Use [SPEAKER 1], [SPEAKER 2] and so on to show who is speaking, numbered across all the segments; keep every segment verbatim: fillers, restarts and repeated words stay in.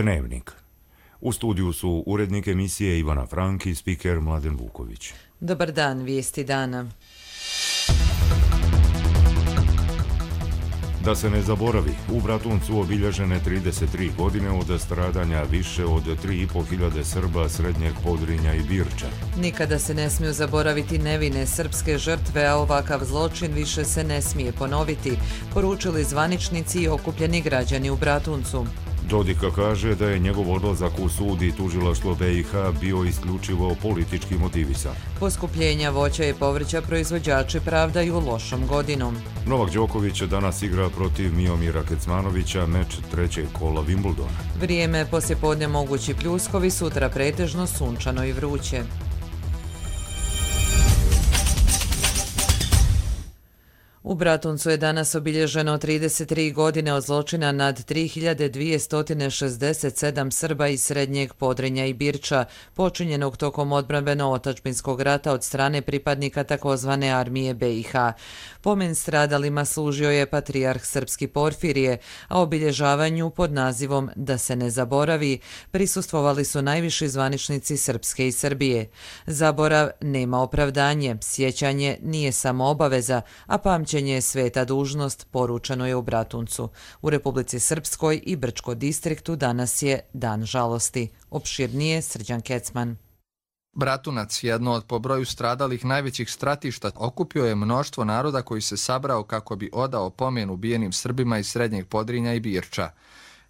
[SPEAKER 1] Dnevnik. U studiju su urednik emisije Ivana Frank i spiker Mladen Vuković.
[SPEAKER 2] Dobar dan, vijesti dana.
[SPEAKER 1] Da se ne zaboravi, u Bratuncu obilježene trideset tri godine od stradanja više od tri i po hiljade Srba Srednjeg Podrinja i Birča.
[SPEAKER 2] Nikada se ne smiju zaboraviti nevine srpske žrtve, a ovakav zločin više se ne smije ponoviti, poručili zvaničnici i okupljeni građani u Bratuncu.
[SPEAKER 1] Dodika kaže da je njegov odlazak u sud i tužilaštvo B i H bio isključivo politički motivisan.
[SPEAKER 2] Poskupljenja voća i povrća proizvođači pravdaju lošom godinom.
[SPEAKER 1] Novak Đoković danas igra protiv Miomira Kecmanovića, meč trećeg kola Wimbledona.
[SPEAKER 2] Vrijeme poslijepodne mogući pljuskovi, sutra pretežno sunčano i vruće. U Bratuncu je danas obilježeno trideset tri godine od zločina nad tri hiljade dvjesto šezdeset sedam Srba iz Srednjeg Podrinja i Birča, počinjenog tokom odbrambeno-otadžbinskog rata od strane pripadnika takozvane armije B i H. Pomen stradalima služio je patrijarh srpski Porfirije, a obilježavanju pod nazivom Da se ne zaboravi prisustvovali su najviši zvaničnici Srpske i Srbije. Zaborav nema opravdanje, sjećanje nije samo obaveza, a pamćenje je sveta dužnost, poručeno je u Bratuncu. U Republici Srpskoj i Brčko distriktu danas je Dan žalosti. Opširnije Srđan Kecman.
[SPEAKER 3] Bratunac, jedno od po broju stradalih najvećih stratišta, okupio je mnoštvo naroda koji se sabrao kako bi odao pomen ubijenim Srbima iz Srednjeg Podrinja i Birča.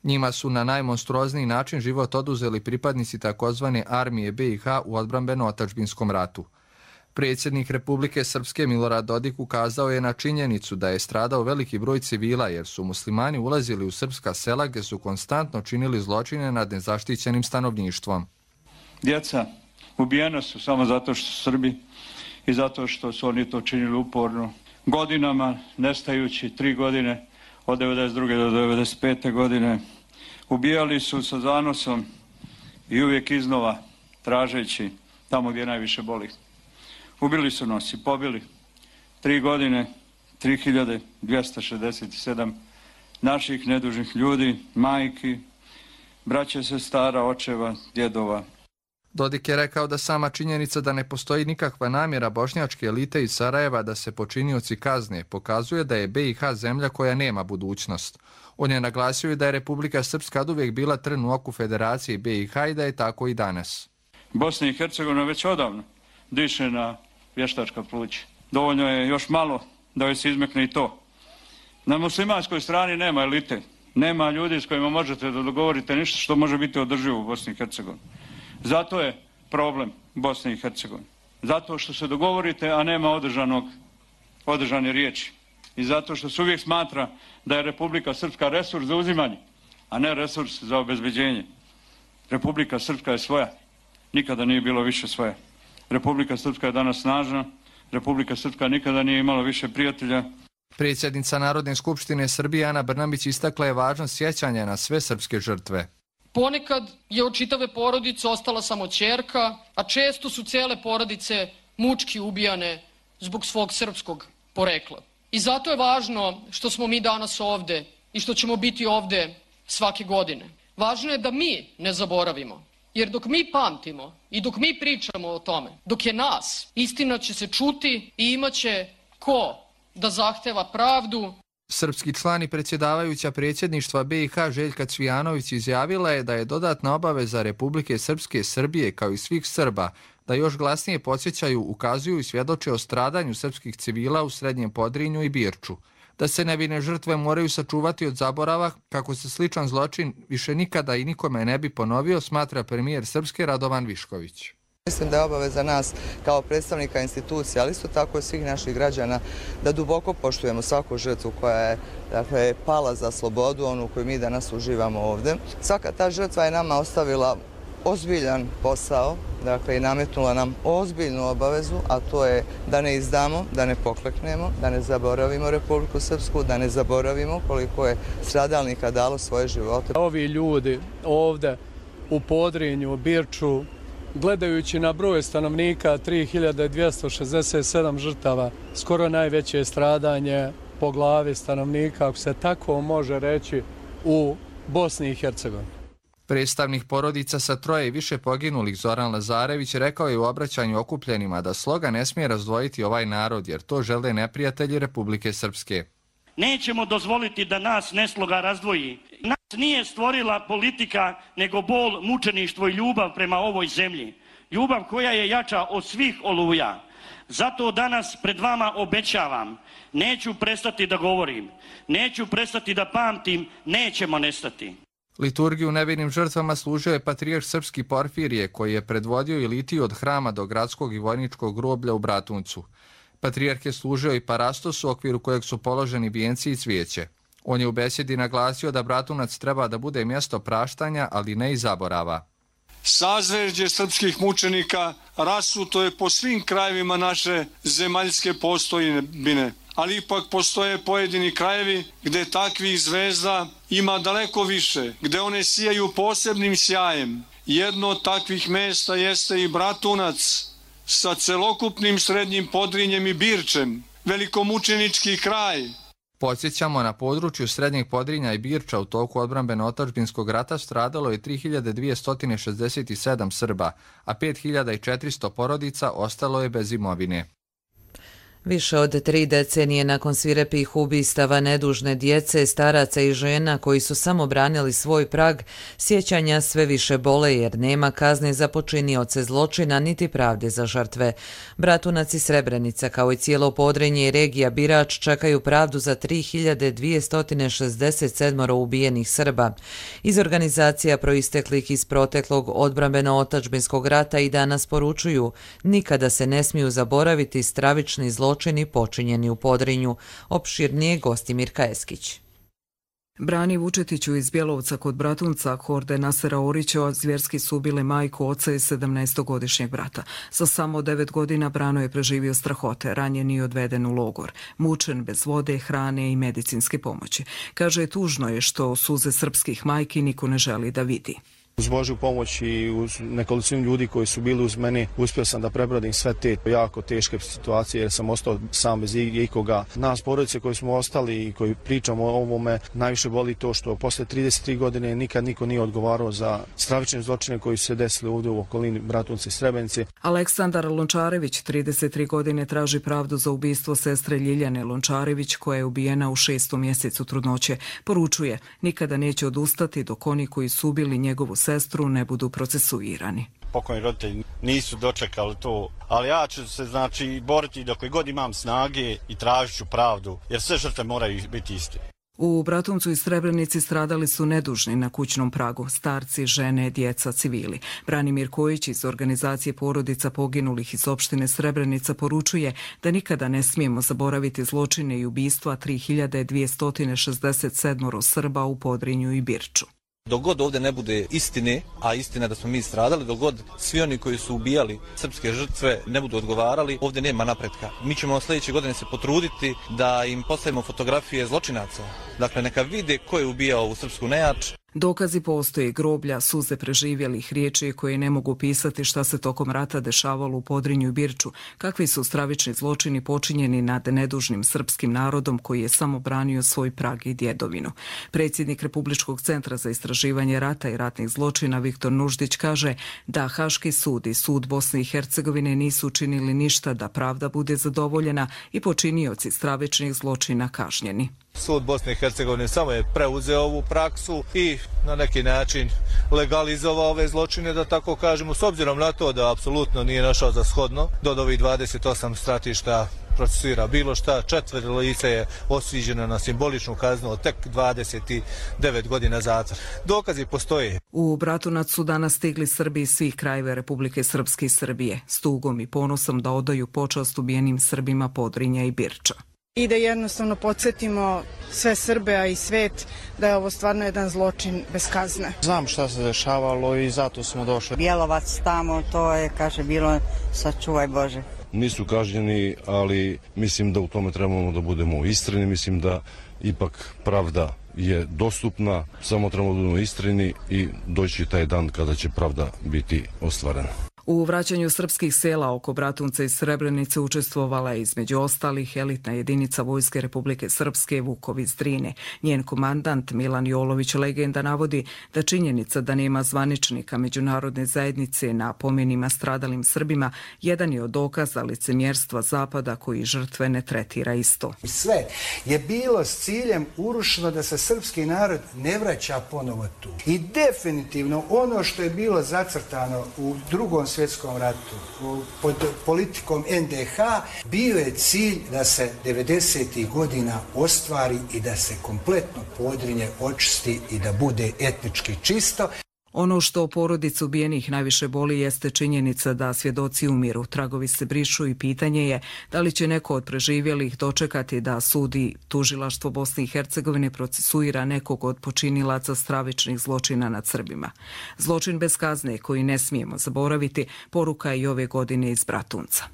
[SPEAKER 3] Njima su na najmonstruozniji način život oduzeli pripadnici takozvane armije B i H u odbrambeno-otadžbinskom ratu. Predsjednik Republike Srpske Milorad Dodik ukazao je na činjenicu da je stradao veliki broj civila jer su muslimani ulazili u srpska sela gdje su konstantno činili zločine nad nezaštićenim stanovništvom.
[SPEAKER 4] Djeca ubijena su samo zato što su Srbi i zato što su oni to činili uporno. Godinama, nestajući tri godine, od devedeset druge do devedeset pete godine, ubijali su sa zanosom i uvijek iznova tražeći tamo gdje najviše boli. Ubili su nas i pobili. Tri godine, tri hiljade dvjesto šezdeset sedam naših nedužnih ljudi, majki, braće, sestara, očeva, djedova.
[SPEAKER 3] Dodik je rekao da sama činjenica da ne postoji nikakva namjera bošnjačke elite iz Sarajeva da se počinioci kazne pokazuje da je B i H zemlja koja nema budućnost. On je naglasio da je Republika Srpska oduvijek bila trn u oku Federacije B i H i da je tako i danas.
[SPEAKER 4] Bosna i Hercegovina već odavno diše na vještačka pluća. Dovoljno je još malo da joj se izmekne i to. Na muslimanskoj strani nema elite, nema ljudi s kojima možete da dogovorite ništa što može biti održivo u Bosni i Hercegovini. Zato je problem Bosne i Hercegovine. Zato što se dogovorite, a nema održanog, održane riječi. I zato što se uvijek smatra da je Republika Srpska resurs za uzimanje, a ne resurs za obezbeđenje. Republika Srpska je svoja. Nikada nije bilo više svoja. Republika Srpska je danas snažna. Republika Srpska nikada nije imala više prijatelja.
[SPEAKER 3] Predsjednica Narodne skupštine Srbije Ana Brnabić istakla je važnost sjećanja na sve srpske žrtve.
[SPEAKER 5] Ponekad je od čitave porodice ostala samo ćerka, a često su cijele porodice mučki ubijane zbog svog srpskog porekla. I zato je važno što smo mi danas ovde i što ćemo biti ovde svake godine. Važno je da mi ne zaboravimo, jer dok mi pamtimo i dok mi pričamo o tome, dok je nas, istina će se čuti i imaće ko da zahteva pravdu.
[SPEAKER 3] Srpski član i predsjedavajuća predsjedništva B i H Željka Cvijanović izjavila je da je dodatna obaveza Republike Srpske Srbije kao i svih Srba da još glasnije podsjećaju, ukazuju i svjedoče o stradanju srpskih civila u Srednjem Podrinju i Birču. Da se nevine žrtve moraju sačuvati od zaborava kako se sličan zločin više nikada i nikome ne bi ponovio, smatra premijer Srpske Radovan Višković.
[SPEAKER 6] Mislim da je obaveza nas kao predstavnika institucija, ali isto tako i svih naših građana, da duboko poštujemo svaku žrtvu koja je dakle, pala za slobodu, onu koju mi danas uživamo ovdje. Svaka ta žrtva je nama ostavila ozbiljan posao, dakle i nametnula nam ozbiljnu obavezu, a to je da ne izdamo, da ne pokleknemo, da ne zaboravimo Republiku Srpsku, da ne zaboravimo koliko je stradalnika dalo svoje živote.
[SPEAKER 7] Ovi ljudi ovdje u Podrinju, u Birču, gledajući na broj stanovnika tri hiljade dvjesto šezdeset sedam žrtava, skoro najveće stradanje po glavi stanovnika, ako se tako može reći, u Bosni i Hercegovini.
[SPEAKER 3] Predstavnik porodica sa troje i više poginulih Zoran Lazarević rekao je u obraćanju okupljenima da sloga ne smije razdvojiti ovaj narod jer to žele neprijatelji Republike Srpske.
[SPEAKER 8] Nećemo dozvoliti da nas nesloga razdvoji. Nas nije stvorila politika nego bol, mučeništvo i ljubav prema ovoj zemlji. Ljubav koja je jača od svih oluja. Zato danas pred vama obećavam, neću prestati da govorim, neću prestati da pamtim, nećemo nestati.
[SPEAKER 3] Liturgiju nevinim žrtvama služio je patrijarh srpski Porfirije, koji je predvodio i litiju od hrama do gradskog i vojničkog groblja u Bratuncu. Patrijarh je služio i parastos u okviru kojeg su položeni vijenci i cvijeće. On je u besjedi naglasio da Bratunac treba da bude mjesto praštanja, ali ne i zaborava.
[SPEAKER 9] Sazvežđe srpskih mučenika rasuto je po svim krajevima naše zemaljske postojbine, ali ipak postoje pojedini krajevi gdje takvih zvezda ima daleko više, gdje one sijaju posebnim sjajem. Jedno od takvih mjesta jeste i Bratunac sa celokupnim Srednjim Podrinjem i Birčem, velikomučenički kraj.
[SPEAKER 3] Podsjećamo, na području Srednjeg Podrinja i Birča u toku odbrambeno-otadžbinskog rata stradalo je tri hiljade dvjesto šezdeset sedam Srba, a pet hiljada četiristo porodica ostalo je bez imovine.
[SPEAKER 2] Više od tri decenije nakon svirepih ubistava nedužne djece, staraca i žena koji su samo branili svoj prag, sjećanja sve više bole jer nema kazne za počinioce zločina niti pravde za žrtve. Bratunac i Srebrenica kao i cijelo Podrinje i regija Birač čekaju pravdu za tri hiljade dvjesto šezdeset sedam ubijenih Srba. Iz organizacija proisteklih iz proteklog odbrambeno-otadžbinskog rata i danas poručuju, nikada se ne smiju zaboraviti stravični zločini zločini počinjeni u Podrinju. Opširnije gosti Mirka Eskić.
[SPEAKER 10] Brani Vučetiću iz Bjelovca kod Bratunca horde Nasera Orića zvjerski su ubile majku, oca i sedamnaestogodišnjeg brata. Za samo devet godina Brano je preživio strahote, ranjen i odveden u logor. Mučen, bez vode, hrane i medicinske pomoći. Kaže, tužno je što suze srpskih majki niko ne želi da vidi.
[SPEAKER 11] Uz Božju pomoć i uz nekolicinu ljudi koji su bili uz mene, uspio sam da prebrodim sve te jako teške situacije jer sam ostao sam bez ikoga. Nas porodice koji smo ostali i koji pričamo o ovome, najviše boli to što posle trideset tri godine nikad niko nije odgovarao za stravične zločine koji su se desili ovdje u okolini Bratunca i Srebrenice.
[SPEAKER 10] Aleksandar Lončarević, trideset tri godine, traži pravdu za ubistvo sestre Ljiljane Lončarević koja je ubijena u šestom mjesecu trudnoće. Poručuje, nikada neće odustati dok oni koji su ubili njegovu sestru ne budu procesuirani.
[SPEAKER 12] Pokojni roditelji nisu dočekali to, ali ja ću se znači boriti dok god imam snage i tražit ću pravdu, jer sve žrtve moraju biti iste.
[SPEAKER 10] U Bratuncu i Srebrenici stradali su nedužni na kućnom pragu, starci, žene, djeca, civili. Branimir Kojić iz organizacije porodica poginulih iz opštine Srebrenica poručuje da nikada ne smijemo zaboraviti zločine i ubistva tri hiljade dvjesto šezdeset sedam Srba u Podrinju i Birču.
[SPEAKER 13] Dok god ovdje ne bude istine, a istina da smo mi stradali, dok god svi oni koji su ubijali srpske žrtve ne budu odgovarali, ovdje nema napretka. Mi ćemo sljedeće godine se potruditi da im postavimo fotografije zločinaca. Dakle, neka vide ko je ubijao ovu srpsku nejač.
[SPEAKER 10] Dokazi postoje, groblja, suze preživjelih, riječi koje ne mogu pisati šta se tokom rata dešavalo u Podrinju i Birču, kakvi su stravični zločini počinjeni nad nedužnim srpskim narodom koji je samo branio svoj prag i djedovinu. Predsjednik Republičkog centra za istraživanje rata i ratnih zločina Viktor Nuždić kaže da Haški sud i sud Bosne i Hercegovine nisu učinili ništa da pravda bude zadovoljena i počinioci stravičnih zločina kažnjeni.
[SPEAKER 13] Sud Bosne i Hercegovine samo je preuzeo ovu praksu i na neki način legalizovao ove zločine, da tako kažemo, s obzirom na to da apsolutno nije našao za shodno da od ovih dvadeset osam stratišta procesuira bilo šta. Četvero lice je osuđeno na simboličnu kaznu od tek dvadeset devet godina zatvora. Dokazi postoje.
[SPEAKER 10] U Bratunac su danas stigli Srbi iz svih krajeva Republike Srpske i Srbije, s tugom i ponosom da odaju počast ubijenim Srbima Podrinja i Birča.
[SPEAKER 14] I da jednostavno podsjetimo sve Srbe, a i svet, da je ovo stvarno jedan zločin bez kazne.
[SPEAKER 11] Znam šta se dešavalo i zato smo došli.
[SPEAKER 15] Bjelovac tamo, to je, kaže, bilo sačuvaj Bože.
[SPEAKER 16] Nisu kažnjeni, ali mislim da u tome trebamo da budemo iskreni, mislim da ipak pravda je dostupna, samo trebamo da budemo iskreni i doći taj dan kada će pravda biti ostvarena.
[SPEAKER 10] U vraćanju srpskih sela oko Bratunca i Srebrenice učestvovala je između ostalih elitna jedinica Vojske Republike Srpske Vukovi iz Drine. Njen komandant Milan Jolović legenda navodi da činjenica da nema zvaničnika međunarodne zajednice na pomenima stradalim Srbima jedan je od dokaza licemjerstva Zapada koji žrtve ne tretira isto.
[SPEAKER 17] Sve je bilo s ciljem urušeno da se srpski narod ne vraća ponovo tu. I definitivno ono što je bilo zacrtano u drugom svjetskom ratu pod politikom en de ha bio je cilj da se devedesetih godina ostvari i da se kompletno Podrinje očisti i da bude etnički čisto.
[SPEAKER 10] Ono što porodicu ubijenih najviše boli jeste činjenica da svjedoci umiru. Tragovi se brišu i pitanje je da li će neko od preživjelih dočekati da sudi tužilaštvo Bosne i Hercegovine procesuira nekog od počinilaca stravičnih zločina nad Srbima. Zločin bez kazne koji ne smijemo zaboraviti poruka je i ove godine iz Bratunca.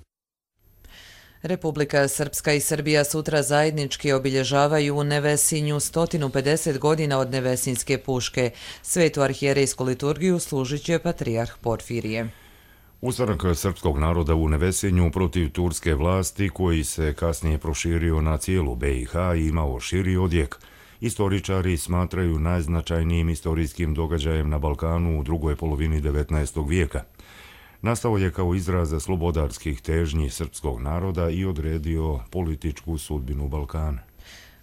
[SPEAKER 2] Republika Srpska i Srbija sutra zajednički obilježavaju u Nevesinju sto pedeset godina od Nevesinjske puške. Svetu arhijerejsku liturgiju služit će patrijarh Porfirije.
[SPEAKER 1] Ustanak srpskog naroda u Nevesinju protiv turske vlasti, koji se kasnije proširio na cijelu be i ha i imao širi odjek, istoričari smatraju najznačajnijim istorijskim događajem na Balkanu u drugoj polovini devetnaestog vijeka. Nastao je kao izraz slobodarskih težnji srpskog naroda i odredio političku sudbinu Balkana.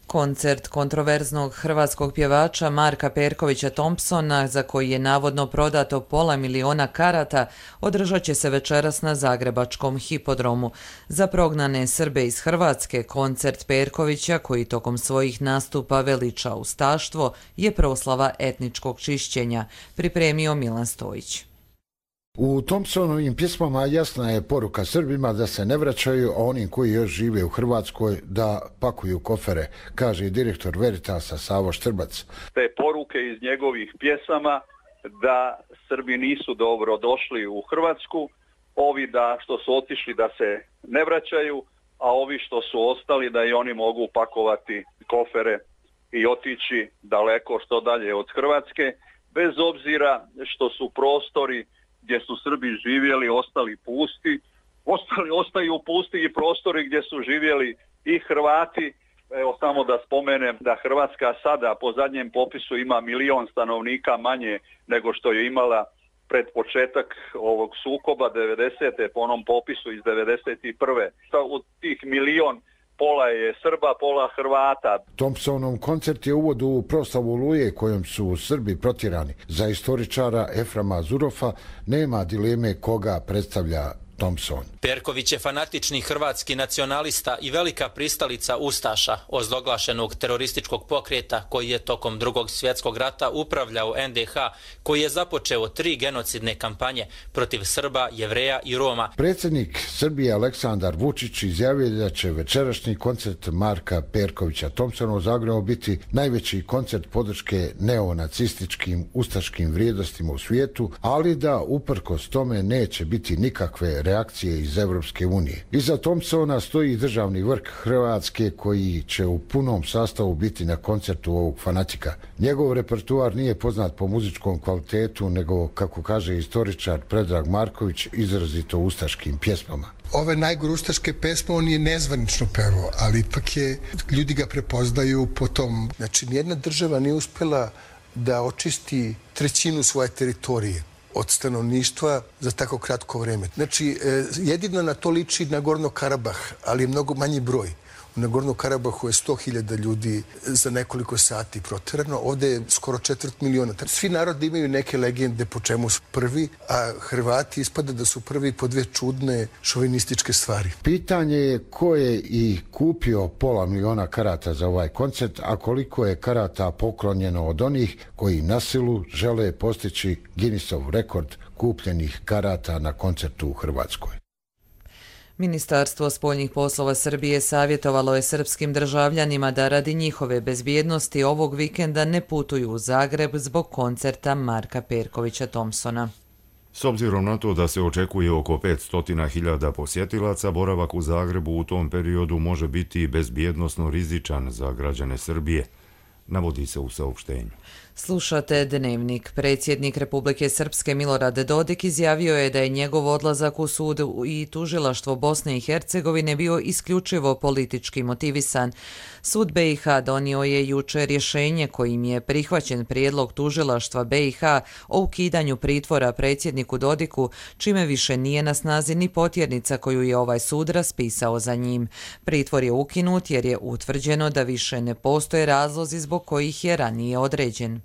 [SPEAKER 2] Koncert kontroverznog hrvatskog pjevača Marka Perkovića Thompsona, za koji je navodno prodato pola miliona karata, održat će se večeras na zagrebačkom hipodromu. Za prognane Srbe iz Hrvatske, koncert Perkovića, koji tokom svojih nastupa veliča ustaštvo, je proslava etničkog čišćenja, pripremio Milan Stojić.
[SPEAKER 18] U Thompsonovim pjesmama jasna je poruka Srbima da se ne vraćaju, a onim koji još žive u Hrvatskoj da pakuju kofere, kaže direktor Veritasa Savo Štrbac.
[SPEAKER 19] Te poruke iz njegovih pjesama da Srbi nisu dobro došli u Hrvatsku, ovi da što su otišli da se ne vraćaju, a ovi što su ostali da i oni mogu pakovati kofere i otići daleko što dalje od Hrvatske, bez obzira što su prostori gdje su Srbi živjeli ostali pusti, ostali, ostaju pusti i prostori gdje su živjeli i Hrvati. Evo samo da spomenem da Hrvatska sada po zadnjem popisu ima milion stanovnika manje nego što je imala pred početak ovog sukoba devedesete po onom popisu iz devedeset prve. Od tih milion pola je Srba, pola Hrvata.
[SPEAKER 18] Thompsonov koncert je uvod u proslavu Oluje kojom su Srbi protjerani. Za istoričara Eframa Zurofa nema dileme koga predstavlja Thompson.
[SPEAKER 20] Perković je fanatični hrvatski nacionalista i velika pristalica ustaša, ozloglašenog terorističkog pokreta koji je tokom drugog svjetskog rata upravljao en de ha, koji je započeo tri genocidne kampanje protiv Srba, Jevreja i Roma.
[SPEAKER 18] Predsjednik Srbije Aleksandar Vučić izjavio da će večerašnji koncert Marka Perkovića Thompsona u Zagrebu biti najveći koncert podrške neonacističkim ustaškim vrijednostima u svijetu, ali da uprkos tome neće biti nikakve reakcije iz Evropske unije. Iza Thompsona stoji državni vrh Hrvatske koji će u punom sastavu biti na koncertu ovog fanatika. Njegov repertuar nije poznat po muzičkom kvalitetu, nego, kako kaže istoričar Predrag Marković, izrazito ustaškim pjesmama.
[SPEAKER 21] Ove najgore ustaške pesme on je nezvanično pevao, ali ipak je, ljudi ga prepoznaju po tom. Znači, nijedna država nije uspjela da očisti trećinu svoje teritorije od stanovništva za tako kratko vrijeme. Znači, jedino na to liči Nagorno Karabah, ali je mnogo manji broj. U Nagorno Karabahu je sto hiljada ljudi za nekoliko sati proterano, ovdje je skoro četvrt miliona. Svi narodi imaju neke legende po čemu su prvi, a Hrvati ispada da su prvi po dve čudne šovinističke stvari.
[SPEAKER 18] Pitanje je ko je i kupio pola miliona karata za ovaj koncert, a koliko je karata poklonjeno od onih koji na silu žele postići Guinnessov rekord kupljenih karata na koncertu u Hrvatskoj.
[SPEAKER 2] Ministarstvo spoljnih poslova Srbije savjetovalo je srpskim državljanima da radi njihove bezbjednosti ovog vikenda ne putuju u Zagreb zbog koncerta Marka Perkovića Thompsona.
[SPEAKER 1] S obzirom na to da se očekuje oko petsto hiljada posjetilaca, boravak u Zagrebu u tom periodu može biti bezbjednosno rizičan za građane Srbije. navodi se u saopštenju.
[SPEAKER 2] Slušate Dnevnik. Predsjednik Republike Srpske Milorad Dodik izjavio je da je njegov odlazak u sud i tužilaštvo Bosne i Hercegovine bio isključivo politički motivisan. Sud B i H donio je juče rješenje kojim je prihvaćen prijedlog tužilaštva B i H o ukidanju pritvora predsjedniku Dodiku, čime više nije na snazi ni potjernica koju je ovaj sud raspisao za njim. Pritvor je ukinut jer je utvrđeno da više ne postoje razlozi zbog kojih je ranije određen.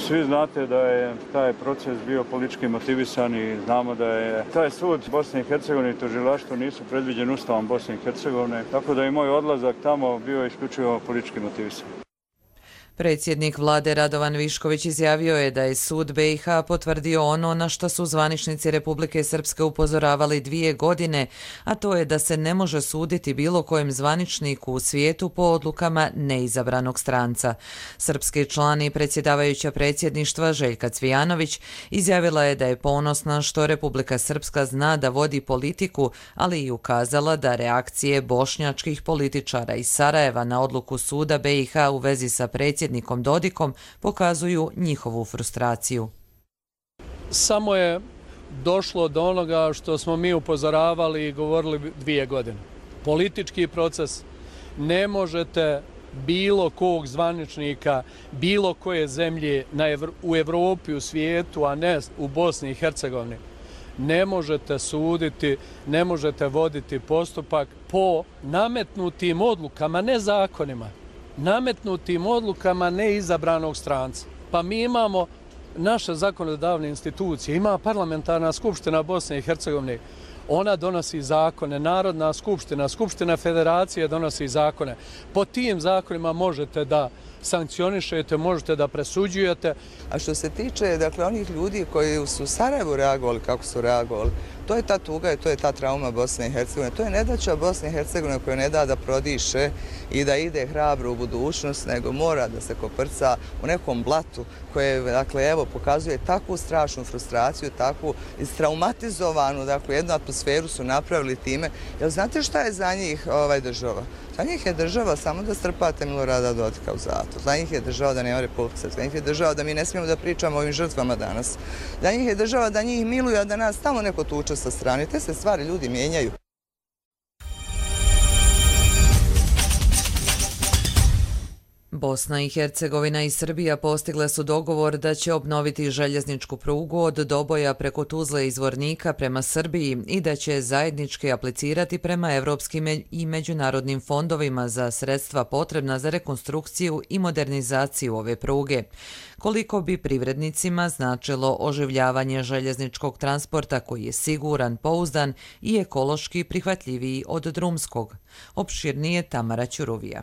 [SPEAKER 4] Svi znate da je taj proces bio politički motivisan i znamo da je taj sud Bosne i Hercegovine i tužilaštvo nisu predviđeni Ustavom Bosne i Hercegovine, tako da je moj odlazak tamo bio isključivo politički motivisan.
[SPEAKER 2] Predsjednik vlade Radovan Višković izjavio je da je sud B i H potvrdio ono na što su zvaničnici Republike Srpske upozoravali dvije godine, a to je da se ne može suditi bilo kojem zvaničniku u svijetu po odlukama neizabranog stranca. Srpski član i predsjedavajuća predsjedništva Željka Cvijanović izjavila je da je ponosna što Republika Srpska zna da vodi politiku, ali i ukazala da reakcije bošnjačkih političara iz Sarajeva na odluku suda B i H u vezi sa predsjednikom Dodikom pokazuju njihovu frustraciju.
[SPEAKER 7] Samo je došlo do onoga što smo mi upozoravali i govorili dvije godine. Politički proces, ne možete bilo kog zvaničnika, bilo koje zemlje na Evro, u Evropi, u svijetu, a ne u Bosni i Hercegovini, ne možete suditi, ne možete voditi postupak po nametnutim odlukama, ne zakonima, nametnutim odlukama neizabranog stranca. Pa mi imamo naše zakonodavne institucije, ima parlamentarna skupština Bosne i Hercegovine, ona donosi zakone, Narodna skupština, Skupština federacije donosi zakone. Po tim zakonima možete da sankcionišete, možete da presuđujete.
[SPEAKER 6] A što se tiče dakle, onih ljudi koji su u Sarajevu reagovali kako su reagovali, to je ta tuga i to je ta trauma Bosne i Hercegovine. To je nedaća Bosne i Hercegovine koja ne da da prodiše i da ide hrabro u budućnost, nego mora da se koprca u nekom blatu koje dakle, evo, pokazuje takvu strašnu frustraciju, takvu istraumatizovanu dakle, jednu atmosferu su napravili time. Jel znate šta je za njih ovaj, država? Za njih je država samo da strpate Milorada Dodika u zatvor. Za njih je država da nema Republike Srpske. Za njih je država da mi ne smijemo da pričamo o ovim žrtvama danas. Za njih je država da njih miluju, a da nas tamo neko tuče sa strane. Te se stvari ljudi mijenjaju.
[SPEAKER 2] Bosna i Hercegovina i Srbija postigle su dogovor da će obnoviti željezničku prugu od Doboja preko Tuzle i Zvornika prema Srbiji i da će zajednički aplicirati prema evropskim i međunarodnim fondovima za sredstva potrebna za rekonstrukciju i modernizaciju ove pruge. Koliko bi privrednicima značilo oživljavanje željezničkog transporta koji je siguran, pouzdan i ekološki prihvatljiviji od drumskog. Opširnije Tamara Ćuruvija.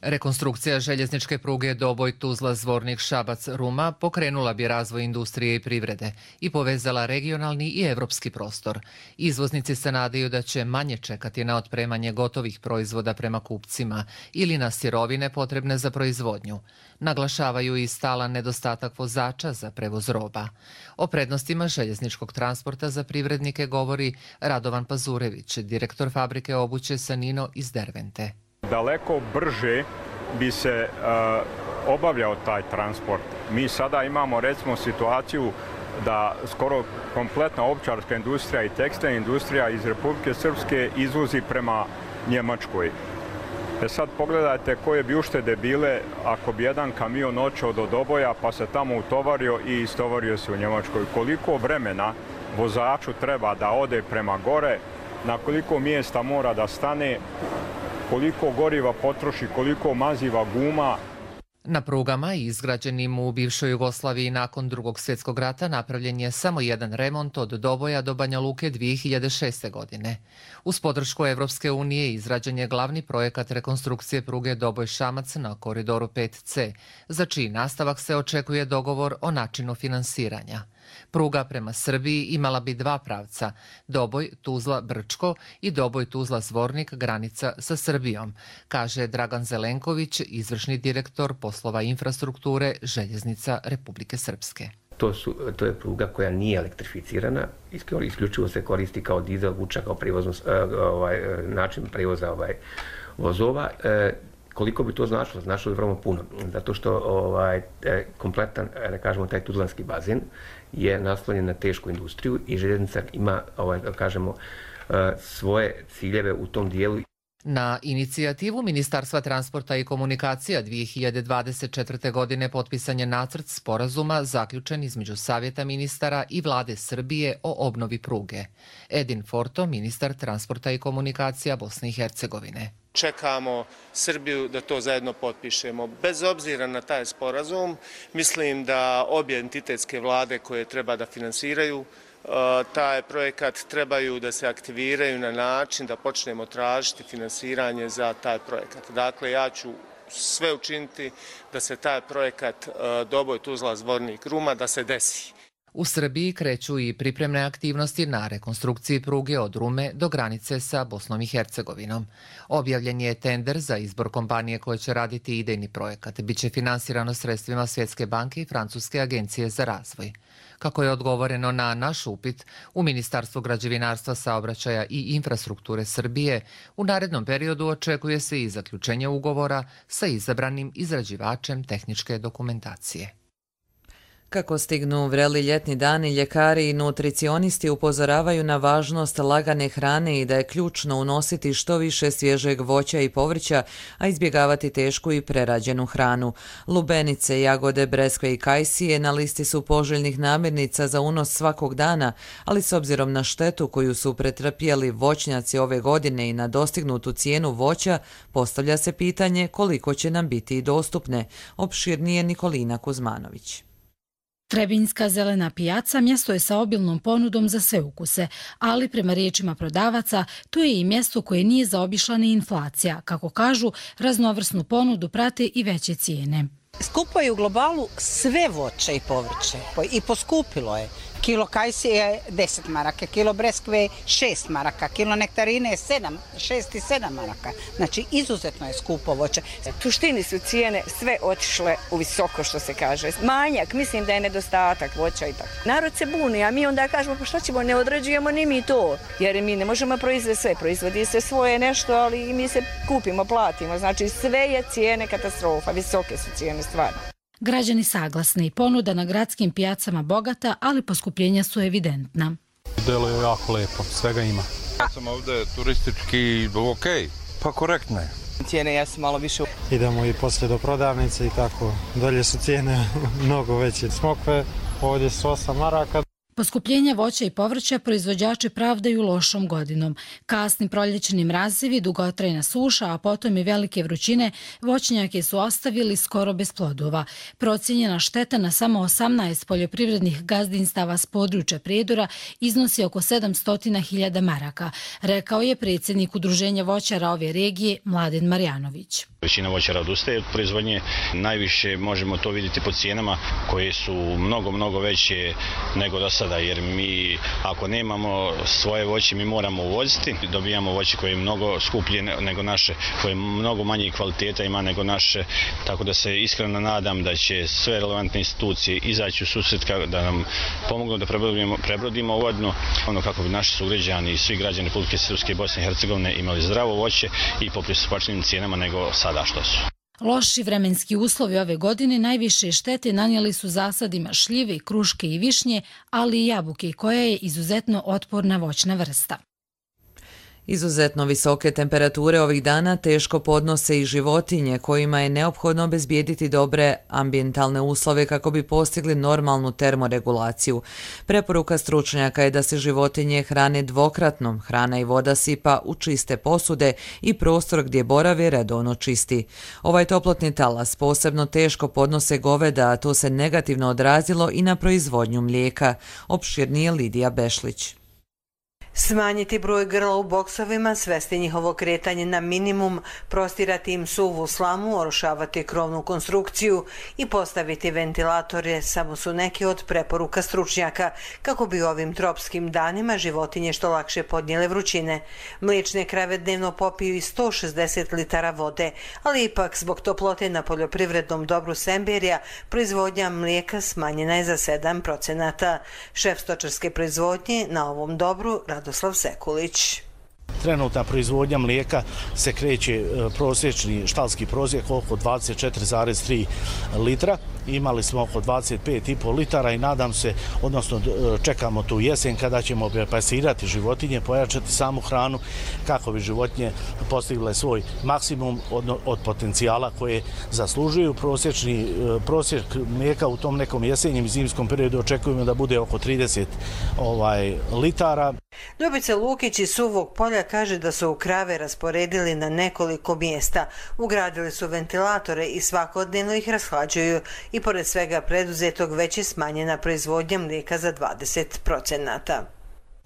[SPEAKER 22] Rekonstrukcija željezničke pruge Doboj, Tuzla, Zvornik, Šabac, Ruma pokrenula bi razvoj industrije i privrede i povezala regionalni i evropski prostor. Izvoznici se nadaju da će manje čekati na otpremanje gotovih proizvoda prema kupcima ili na sirovine potrebne za proizvodnju. Naglašavaju i stalan nedostatak vozača za prevoz roba. O prednostima željezničkog transporta za privrednike govori Radovan Pazurević, direktor fabrike obuće Sanino iz Dervente.
[SPEAKER 23] Daleko brže bi se uh, obavljao taj transport. Mi sada imamo recimo situaciju da skoro kompletna ovčarska industrija i tekstilna industrija iz Republike Srpske izvozi prema Njemačkoj. E sad pogledajte koje bi uštede bile ako bi jedan kamion očeo do Doboja pa se tamo utovario i istovario se u Njemačkoj. Koliko vremena vozaču treba da ode prema gore, na koliko mjesta mora da stane, koliko goriva potroši, koliko maziva guma.
[SPEAKER 22] Na prugama izgrađenim u bivšoj Jugoslaviji nakon Drugog svjetskog rata napravljen je samo jedan remont od Doboja do Banja Luke dvije hiljade šeste. godine. Uz podršku Evropske unije izrađen je glavni projekat rekonstrukcije pruge Doboj-Šamac na koridoru pet ce, za čiji nastavak se očekuje dogovor o načinu finansiranja. Pruga prema Srbiji imala bi dva pravca, Doboj, Tuzla, Brčko i Doboj, Tuzla, Zvornik, granica sa Srbijom, kaže Dragan Zelenković, izvršni direktor poslova infrastrukture Željeznica Republike Srpske.
[SPEAKER 24] To, su, to je pruga koja nije elektrificirana, isključivo se koristi kao dizel vuča, kao prevozno, ovaj, način prevoza ovaj, vozova. Koliko bi to značilo? Značilo bi vrlo puno, zato što ovaj, kompletan, da kažemo, taj tuzlanski bazen je naslonjen na tešku industriju i željeznica ima, ovaj, da kažemo, svoje ciljeve u tom dijelu.
[SPEAKER 22] Na inicijativu Ministarstva transporta i komunikacija dvije hiljade dvadeset četvrte. godine potpisan je nacrt sporazuma zaključen između Savjeta ministara i Vlade Srbije o obnovi pruge. Edin Forto, ministar transporta i komunikacija Bosne i Hercegovine.
[SPEAKER 3] Čekamo Srbiju da to zajedno potpišemo. Bez obzira na taj sporazum, mislim da obje entitetske vlade koje treba da finansiraju taj projekat trebaju da se aktiviraju na način da počnemo tražiti finansiranje za taj projekat. Dakle, ja ću sve učiniti da se taj projekat Doboj, Tuzla, Zvornik, Ruma da se desi.
[SPEAKER 22] U Srbiji kreću i pripremne aktivnosti na rekonstrukciji pruge od Rume do granice sa Bosnom i Hercegovinom. Objavljen je tender za izbor kompanije koje će raditi idejni projekat. Biće finansirano sredstvima Svjetske banke i Francuske agencije za razvoj. Kako je odgovoreno na naš upit, u Ministarstvu građevinarstva, saobraćaja i infrastrukture Srbije u narednom periodu očekuje se i zaključenje ugovora sa izabranim izrađivačem tehničke dokumentacije.
[SPEAKER 2] Kako stignu vreli ljetni dani, ljekari i nutricionisti upozoravaju na važnost lagane hrane i da je ključno unositi što više svježeg voća i povrća, a izbjegavati tešku i prerađenu hranu. Lubenice, jagode, breskve i kajsije na listi su poželjnih namirnica za unos svakog dana, ali s obzirom na štetu koju su pretrpjeli voćnjaci ove godine i na dostignutu cijenu voća, postavlja se pitanje koliko će nam biti dostupne. Opširnije Nikolina Kuzmanović.
[SPEAKER 5] Trebinjska zelena pijaca mjesto je sa obilnom ponudom za sve ukuse, ali prema riječima prodavaca, to je i mjesto koje nije zaobišla ni inflacija. Kako kažu, raznovrsnu ponudu prate i veće cijene.
[SPEAKER 8] Skupo je u globalu sve voće i povrće i poskupilo je. Kilo kajsije je deset maraka, kilo breskve šest maraka, kilo nektarine je sedam, šest i sedam maraka. Znači, izuzetno je skupo voće.
[SPEAKER 9] U suštini su cijene sve otišle u visoko, što se kaže. Manjak, mislim da je nedostatak voća i tako. Narod se buni, a mi onda kažemo, pa što ćemo, ne određujemo ni mi to, jer mi ne možemo proizvesti sve. Proizvodi se svoje nešto, ali mi se kupimo, platimo. Znači, sve je cijene katastrofa, visoke su cijene stvarno.
[SPEAKER 5] Građani saglasni, ponuda na gradskim pijacama bogata, ali poskupljenja su evidentna.
[SPEAKER 25] Delo je jako lepo, svega ima.
[SPEAKER 26] Ja sam ovdje turistički ok, pa korektno je.
[SPEAKER 27] Cijene jesu malo više.
[SPEAKER 25] Idemo i poslije do prodavnice i tako, dolje su cijene mnogo veće. Smokve ovdje su osam maraka.
[SPEAKER 5] Poskupljenja voća i povrća proizvođači pravdaju lošom godinom. Kasni proljećni mrazevi, dugotrajna suša, a potom i velike vrućine, voćnjake su ostavili skoro bez plodova. Procijenjena šteta na samo osamnaest poljoprivrednih gazdinstava s područja Prijedora iznosi oko sedamsto hiljada maraka, rekao je predsjednik Udruženja voćara ove regije Mladen Marjanović.
[SPEAKER 28] Većina voćara odustaje od proizvodnje, najviše možemo to vidjeti po cijenama koje su mnogo, mnogo veće nego do sada, jer mi ako nemamo svoje voće mi moramo uvoziti, dobijamo voće koje je mnogo skuplje nego naše, koje je mnogo manje kvaliteta ima nego naše, tako da se iskreno nadam da će sve relevantne institucije izaći u susret da nam pomognu da prebrodimo, prebrodimo godinu, ono kako bi naši sugrađani i svi građani Republike Srpske i Bosne i Hercegovine imali zdravo voće i po pristupačnim cijenama nego sada što su.
[SPEAKER 5] Loši vremenski uslovi ove godine najviše štete nanijeli su zasadima šljive, kruške i višnje, ali i jabuke, koja je izuzetno otporna voćna vrsta.
[SPEAKER 2] Izuzetno visoke temperature ovih dana teško podnose i životinje kojima je neophodno obezbijediti dobre ambijentalne uslove kako bi postigli normalnu termoregulaciju. Preporuka stručnjaka je da se životinje hrane dvokratno, hrana i voda sipa u čiste posude i prostor gdje borave redovno čisti. Ovaj toplotni talas posebno teško podnose goveda, a to se negativno odrazilo i na proizvodnju mlijeka. Opširnije Lidija Bešlić.
[SPEAKER 29] Smanjiti broj grla u boksovima, svesti njihovo kretanje na minimum, prostirati im suvu slamu, orošavati krovnu konstrukciju i postaviti ventilatore samo su neke od preporuka stručnjaka kako bi ovim tropskim danima životinje što lakše podnijele vrućine. Mliječne krave dnevno popiju i sto šezdeset litara vode, ali ipak zbog toplote na poljoprivrednom dobru Semberija proizvodnja mlijeka smanjena je za sedam procenata. Šef stočarske proizvodnje na ovom dobru Radoslav Sekulić.
[SPEAKER 10] Trenutna proizvodnja mlijeka se kreće prosječni štalski prosjek oko dvadeset četiri zarez tri litra. Imali smo oko dvadeset pet i pol litara i nadam se, odnosno čekamo tu jesen kada ćemo pasirati životinje, pojačati samu hranu kako bi životinje postigle svoj maksimum od, od potencijala koje zaslužuju. Prosječni prosjek mlijeka u tom nekom jesenjem i zimskom periodu očekujemo da bude oko trideset ovaj, litara.
[SPEAKER 29] Ljubica Lukić iz Suvog polja kaže da su krave rasporedili na nekoliko mjesta. Ugradili su ventilatore i svakodnevno ih rashlađuju i pored svega preduzetog već je smanjena proizvodnja mlijeka za dvadeset procenata.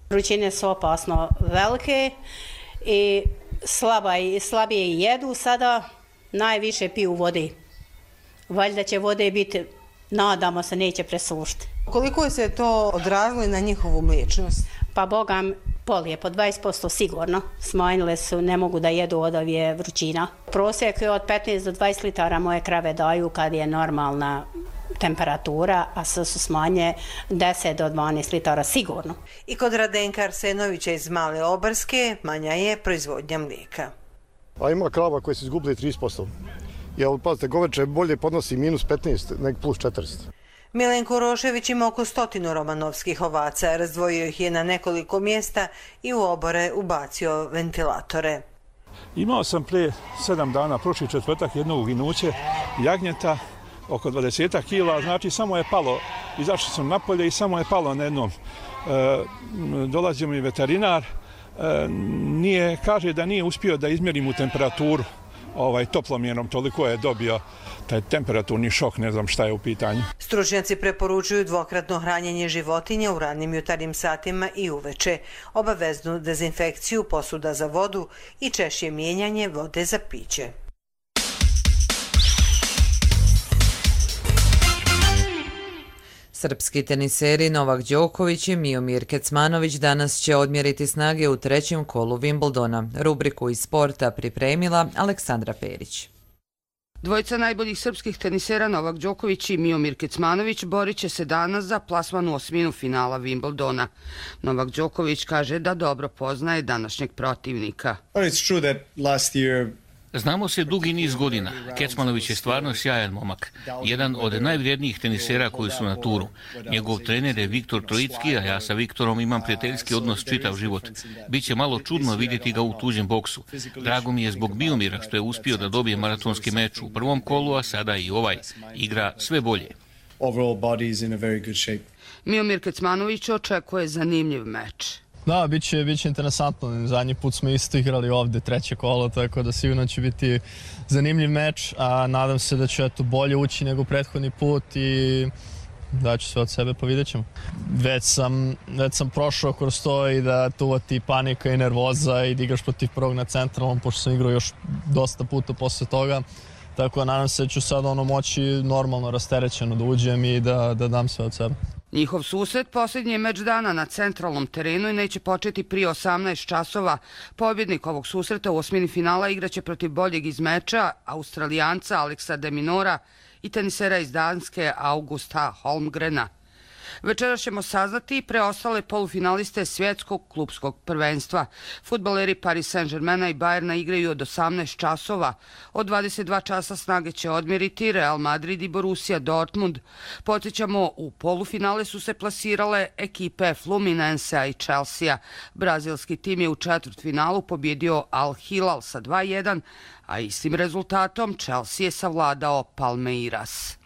[SPEAKER 11] Vrućine su opasno velike i slaba, slabije jedu, sada najviše piju vode. Valjda će vode biti, nadamo se, neće presušiti.
[SPEAKER 29] Koliko se to odrazilo na njihovu mliječnost?
[SPEAKER 11] Pa bogam, pol je po dvadeset posto sigurno. Smanjile su, ne mogu da jedu od ovih vrućina. Prosjek je od petnaest do dvadeset litara moje krave daju kad je normalna temperatura, a sad su smanje deset do dvanaest litara sigurno.
[SPEAKER 29] I kod Radenka Arsenovića iz Male Obarske manja je proizvodnja mlijeka.
[SPEAKER 12] A ima krava koje su izgubili trideset posto. Jer, pazite, goveče bolje podnosi minus petnaest nego plus četrdeset.
[SPEAKER 29] Milenko Rošević ima oko stotinu romanovskih ovaca, razdvojio ih je na nekoliko mjesta i u obore ubacio ventilatore.
[SPEAKER 13] Imao sam prije sedam dana, prošli četvrtak, jedno uginuće jagnjeta, oko dvadeset kila, znači samo je palo, izašli sam napolje i samo je palo na jednom. E, dolazio mi veterinar, e, nije, kaže da nije uspio da izmjeri mu temperaturu. Ovaj, toplomjerom, toliko je dobio taj temperaturni šok, ne znam šta je u pitanju.
[SPEAKER 29] Stručnjaci preporučuju dvokratno hranjenje životinja u ranim jutarnjim satima i uveče, obaveznu dezinfekciju posuda za vodu i češće mijenjanje vode za piće.
[SPEAKER 2] Srpski teniseri Novak Đoković i Miomir Kecmanović danas će odmjeriti snage u trećem kolu Wimbledona. Rubriku iz sporta pripremila Aleksandra Perić.
[SPEAKER 14] Dvojica najboljih srpskih tenisera Novak Đoković i Miomir Kecmanović borit će se danas za plasman u osminu finala Wimbledona. Novak Đoković kaže da dobro poznaje današnjeg protivnika.
[SPEAKER 15] Znamo se dugi niz godina. Kecmanović je stvarno sjajan momak. Jedan od najvrijednijih tenisera koji su na turu. Njegov trener je Viktor Trojicki, a ja sa Viktorom imam prijateljski odnos čitav život. Biće malo čudno vidjeti ga u tuđem boksu. Drago mi je zbog Miomira što je uspio da dobije maratonski meč u prvom kolu, a sada i ovaj. Igra sve bolje.
[SPEAKER 14] Miomir Kecmanović očekuje zanimljiv meč.
[SPEAKER 16] Da, bit će, bit će interesantno. Zadnji put smo isto igrali ovde treće kolo, tako da sigurno će biti zanimljiv meč, a nadam se da će eto, bolje ući nego prethodni put i da ću sve od sebe, pa vidjet ćemo. Već sam, već sam prošao kroz to i da tu ti panika i nervoza i da igraš protiv prvog na centralnom, pošto sam igrao još dosta puta posle toga. Tako da nadam se da ću sad ono moći normalno rasterećeno da uđem i da, da dam sve od sebe.
[SPEAKER 14] Njihov susret posljednji je meč dana na centralnom terenu i neće početi prije osamnaest časova. Pobjednik ovog susreta u osmini finala igraće protiv boljeg iz meča, Australijanca Alexa de Minaura i tenisera iz Danske Augusta Holmgrena. Večeras ćemo saznati preostale polufinaliste svjetskog klupskog prvenstva. Fudbaleri Paris Saint-Germaina i Bayerna igraju od osamnaest časova. Od dvadeset dva časa snage će odmjeriti Real Madrid i Borussia Dortmund. Podsjećamo, u polufinale su se plasirale ekipe Fluminense i Chelsea. Brazilski tim je u četvrtfinalu pobjedio Al Hilal sa dva jedan, a istim rezultatom Chelsea je savladao Palmeiras.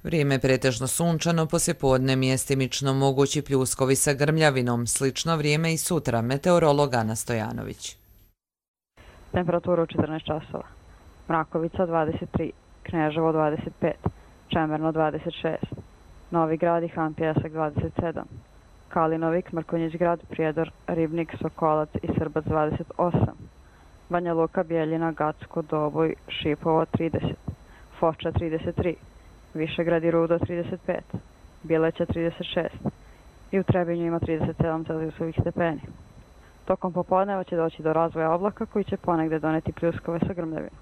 [SPEAKER 2] Vrijeme je pretežno sunčano, poslijepodne mjestimično mogući pljuskovi sa grmljavinom. Slično vrijeme i sutra, meteorolog Ana Stojanović.
[SPEAKER 17] Temperatura u četrnaest časova. Mrakovica dvadeset tri, Kneževo dvadeset pet, Čemerno dvadeset šest, Novi Grad i Han Pjesak dvadeset sedam, Kalinovik, Mrkonjić Grad, Prijedor, Ribnik, Sokolac i Srbac dvadeset osam, Banja Luka, Bijeljina, Gacko, Doboj, Šipovo trideset, Foča trideset tri, Višegrad i Rudo trideset pet, Bileća trideset šest i u Trebinju ima trideset sedam celzijusovih stepeni. Tokom popodneva će doći do razvoja oblaka koji će ponegde doneti pljuskove sa grmljavinom.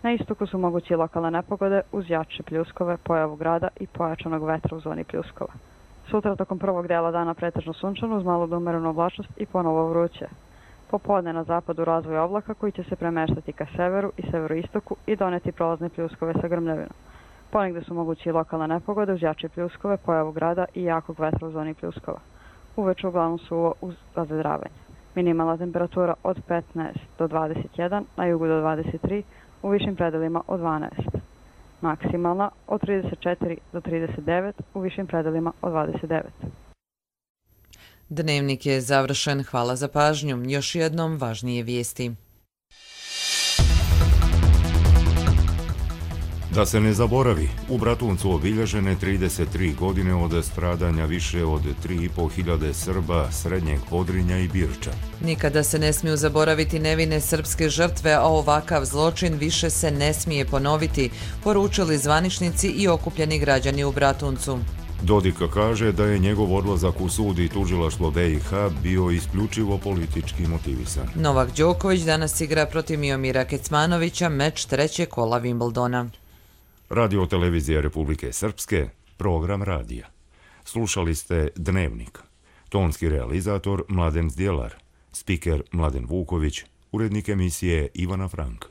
[SPEAKER 17] Na istoku su mogući lokalne nepogode uz jače pljuskove, pojavu grada i pojačanog vetra u zoni pljuskova. Sutra tokom prvog dela dana pretežno sunčano uz malo do umerenu oblačnost i ponovo vruće. Popodne na zapadu razvoj oblaka koji će se premeštati ka severu i severoistoku i doneti prolazne pljuskove sa grmljavinom. Ponegde su mogući lokalne nepogode uz jače pljuskove, pojavu grada i jakog vetra u zoni pljuskova. Uveče uglavnom suvo uz razvedravanje. Minimalna temperatura od petnaest do dvadeset jedan, na jugu do dvadeset tri, u višim predelima od dvanaest. Maksimalna od trideset četiri do trideset devet, u višim predelima od dvadeset devet.
[SPEAKER 2] Dnevnik je završen. Hvala za pažnju. Još jednom važnije vijesti.
[SPEAKER 1] Da se ne zaboravi, u Bratuncu obilježene trideset tri godine od stradanja više od tri i po hiljade Srba, Srednjeg Podrinja i Birča.
[SPEAKER 2] Nikada se ne smiju zaboraviti nevine srpske žrtve, a ovakav zločin više se ne smije ponoviti, poručili zvaničnici i okupljeni građani u Bratuncu.
[SPEAKER 1] Dodika kaže da je njegov odlazak u sud i tužilaštvo B i H bio isključivo politički motivisan.
[SPEAKER 2] Novak Đoković danas igra protiv Miomira Kecmanovića, meč trećeg kola Wimbledona.
[SPEAKER 1] Radio televizija Republike Srpske, program radija. Slušali ste Dnevnik. Tonski realizator Mladen Zdjelar, spiker Mladen Vuković, urednik emisije Ivana Frank.